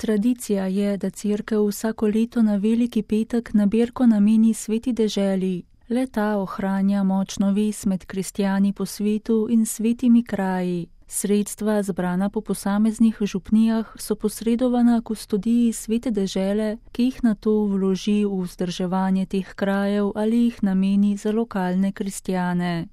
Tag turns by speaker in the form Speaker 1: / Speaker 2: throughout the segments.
Speaker 1: Tradicija je, da cerkev vsako leto na veliki petek nabirko nameni sveti deželi. Le ta ohranja močno vez med kristjani po svetu in svetimi kraji. Sredstva, zbrana po posameznih župnijah, so posredovana kustodiji svete dežele, ki jih nato vloži v vzdrževanje teh krajev ali jih nameni za lokalne kristjane.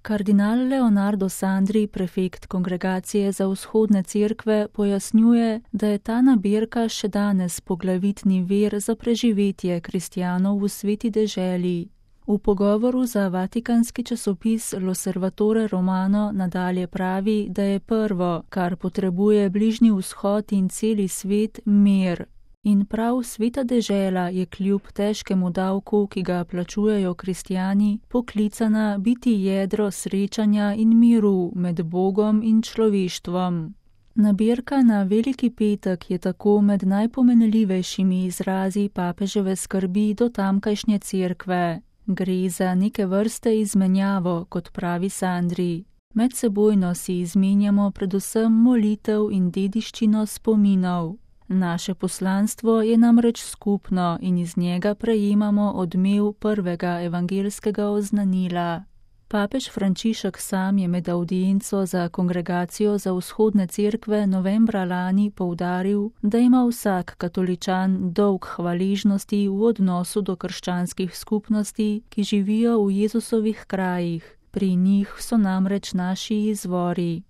Speaker 1: Kardinal Leonardo Sandri, prefekt Kongregacije za vzhodne cerkve, pojasnjuje, da je ta nabirka še danes poglavitni vir za preživetje kristjanov v sveti deželi. V pogovoru za vatikanski časopis L'Osservatore Romano nadalje pravi, da je prvo, kar potrebuje Bližnji vzhod in celi svet, mir. In prav sveta dežela je kljub težkemu davku, ki ga plačujejo kristjani, poklicana biti jedro srečanja in miru med Bogom in človeštvom. Nabirka na Veliki petek je tako med najpomenljivejšimi izrazi papeževe skrbi do tamkajšnje cerkve. Gre za neke vrste izmenjavo, kot pravi Sandri. Medsebojno si izmenjamo predvsem molitev in dediščino spominov. Naše poslanstvo je namreč skupno in iz njega prejemamo odmev prvega evangelskega oznanila. Papež Frančišek sam je med avdienco za Kongregacijo za vzhodne cerkve novembra lani poudaril, da ima vsak katoličan dolg hvaležnosti v odnosu do krščanskih skupnosti, ki živijo v Jezusovih krajih. Pri njih so namreč naši izvori.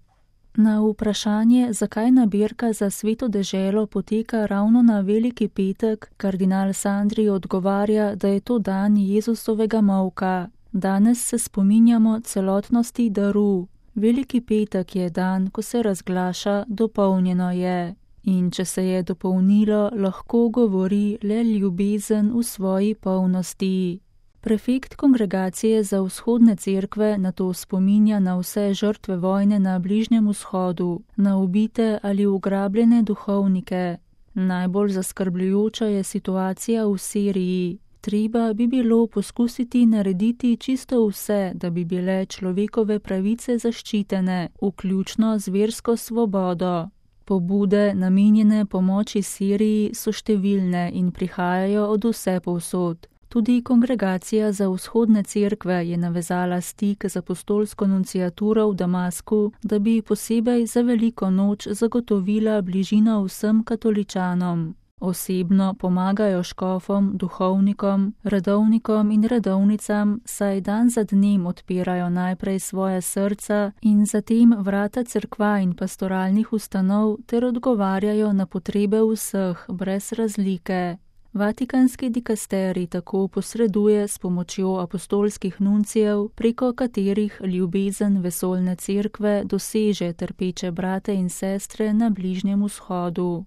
Speaker 1: Na vprašanje, zakaj nabirka za sveto deželo poteka ravno na Veliki petek, kardinal Sandri odgovarja, da je to dan Jezusovega molka. Danes se spominjamo celotnosti daru. Veliki petek je dan, ko se razglaša, dopolnjeno je. In če se je dopolnilo, lahko govori le ljubezen v svoji polnosti. Prefekt Kongregacije za vzhodne cerkve nato spominja na vse žrtve vojne na Bližnjem vzhodu, na ubite ali ugrabljene duhovnike. Najbolj zaskrbljujoča je situacija v Siriji. Treba bi bilo poskusiti narediti čisto vse, da bi bile človekove pravice zaščitene, vključno z versko svobodo. Pobude, namenjene pomoči Siriji, so številne in prihajajo od vsepovsod. Tudi Kongregacija za vzhodne cerkve je navezala stik z apostolsko nunciaturo v Damasku, da bi posebej za veliko noč zagotovila bližino vsem katoličanom. Osebno pomagajo škofom, duhovnikom, redovnikom in redovnicam, saj dan za dnem odpirajo najprej svoje srca in zatem vrata cerkva in pastoralnih ustanov ter odgovarjajo na potrebe vseh, brez razlike. Vatikanski dikasterij tako posreduje s pomočjo apostolskih nuncijev, preko katerih ljubezen vesoljne cerkve doseže trpeče brate in sestre na Bližnjem vzhodu.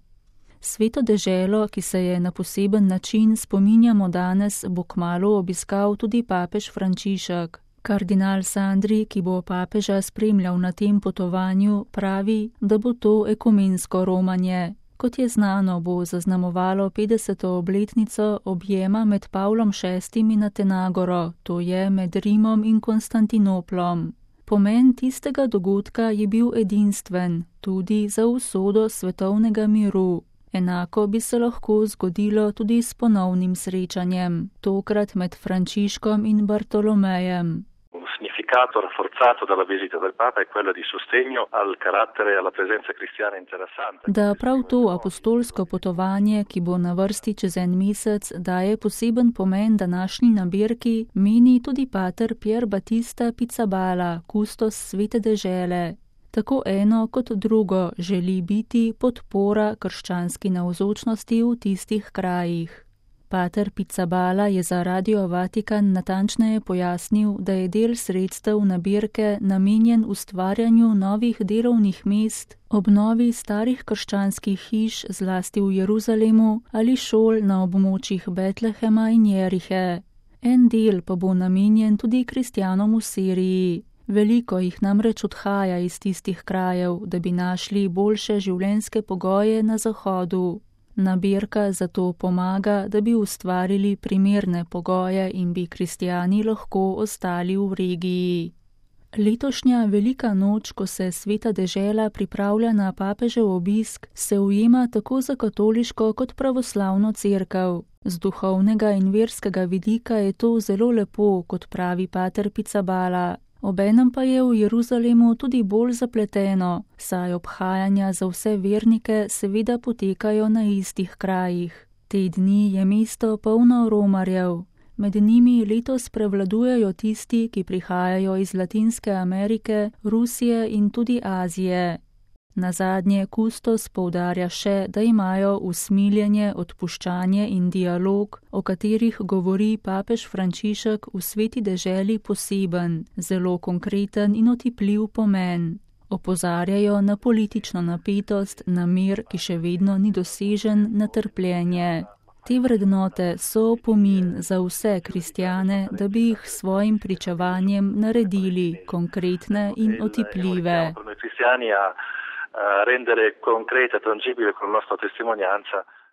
Speaker 1: Sveto deželo, ki se je na poseben način spominjamo danes, bo kmalu obiskal tudi papež Frančišek. Kardinal Sandri, ki bo papeža spremljal na tem potovanju, pravi, da bo to ekumensko romanje. Kot je znano, bo zaznamovalo 50. obletnico objema med Pavlom VI in Atenagoro, to je med Rimom in Konstantinoplom. Pomen tistega dogodka je bil edinstven, tudi za usodo svetovnega miru. Enako bi se lahko zgodilo tudi s ponovnim srečanjem, tokrat med Frančiškom in Bartolomejem.
Speaker 2: Significato rafforzato dalla visita del Papa è quello di sostegno al carattere e alla presenza cristiana interessante.
Speaker 1: Da prav to apostolsko potovanje, ki bo na vrsti čez en mesec, daje poseben pomen današnji nabirki, meni tudi pater Pier Battista Pizzaballa, kustos svete dežele. Tako eno kot drugo želi biti podpora krščanski navzočnosti v tistih krajih. Pater Pizzaballa je za Radio Vatikan natančneje pojasnil, da je del sredstev nabirke namenjen ustvarjanju novih delovnih mest, obnovi starih krščanskih hiš zlasti v Jeruzalemu ali šol na območjih Betlehema in Jerihe. En del pa bo namenjen tudi kristjanom v Siriji. Veliko jih namreč odhaja iz tistih krajev, da bi našli boljše življenjske pogoje na zahodu. Nabirka zato pomaga, da bi ustvarili primerne pogoje in bi kristjani lahko ostali v regiji. Letošnja velika noč, ko se Sveta dežela pripravlja na papežev obisk, se ujema tako za katoliško kot pravoslavno cerkev. Z duhovnega in verskega vidika je to zelo lepo, kot pravi pater Pizzaballa. Obenem pa je v Jeruzalemu tudi bolj zapleteno, saj obhajanja za vse vernike seveda potekajo na istih krajih. Te dni je mesto polno romarjev. Med njimi letos prevladujejo tisti, ki prihajajo iz Latinske Amerike, Rusije in tudi Azije. Nazadnje kustos poudarja še, da imajo usmiljenje, odpuščanje in dialog, o katerih govori papež Frančišek v Sveti deželi poseben, zelo konkreten in otipljiv pomen. Opozarjajo na politično napetost, na mir, ki še vedno ni dosežen, na trpljenje. Te vrednote so opomin za vse kristjane, da bi jih s svojim pričevanjem naredili konkretne in otipljive.
Speaker 2: Rendere concreta, tangibile con la nostra testimonianza